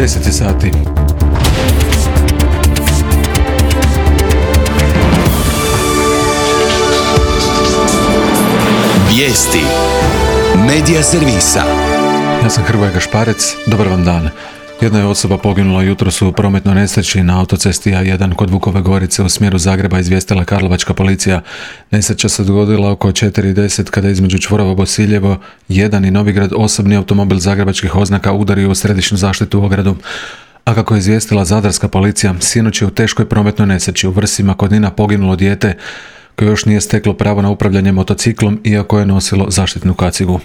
10 sati. Vijesti Medija servisa. Ja sam Hrvoje Gašparec, dobar vam dan. Jedna je osoba poginula jutros u prometnoj nesreći na autocesti A1 kod Vukove Gorice u smjeru Zagreba, izvijestila karlovačka policija. Nesreća se dogodila oko 4:10 kada između čvorova Bosiljevo 1 i Novigrad osobni automobil zagrebačkih oznaka udario u središnju zaštitnu ogradu. A kako je izvijestila zadarska policija, sinoć je u teškoj prometnoj nesreći u Vrsima kod Nina poginulo dijete koje još nije steklo pravo na upravljanje motociklom iako je nosilo zaštitnu kacigu.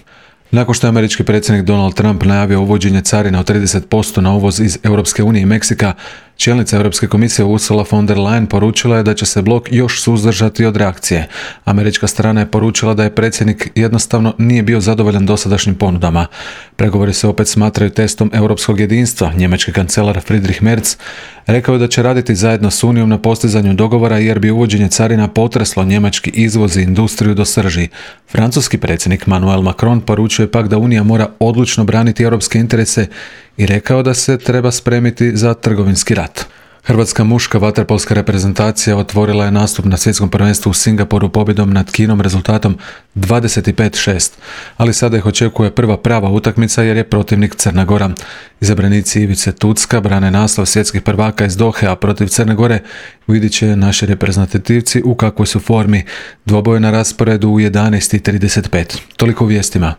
Nakon što je američki predsjednik Donald Trump najavio uvođenje carina od 30% na uvoz iz Europske unije i Meksika, čelnica Europske komisije Ursula von der Leyen poručila je da će se blok još suzdržati od reakcije. Američka strana je poručila da je predsjednik jednostavno nije bio zadovoljan dosadašnjim ponudama. Pregovori se opet smatraju testom europskog jedinstva. Njemački kancelar Friedrich Merz rekao je da će raditi zajedno s Unijom na postizanju dogovora jer bi uvođenje carina potreslo njemački izvoz i industriju do srži. Francuski predsjednik Emmanuel Macron poručuje pak da Unija mora odlučno braniti europske interese i rekao da se treba spremiti za trgovinski rat. Hrvatska muška vaterpolska reprezentacija otvorila je nastup na svjetskom prvenstvu u Singapuru pobjedom nad Kinom rezultatom 25:6, ali sada ih očekuje prva prava utakmica jer je protivnik Crna Gora. Izabranici Ivice Tucka brane naslov svjetskih prvaka iz Dohe, a protiv Crne Gore vidit će naši reprezentativci u kakvoj su formi. Dvoboj na rasporedu u 11:35. Toliko u vijestima.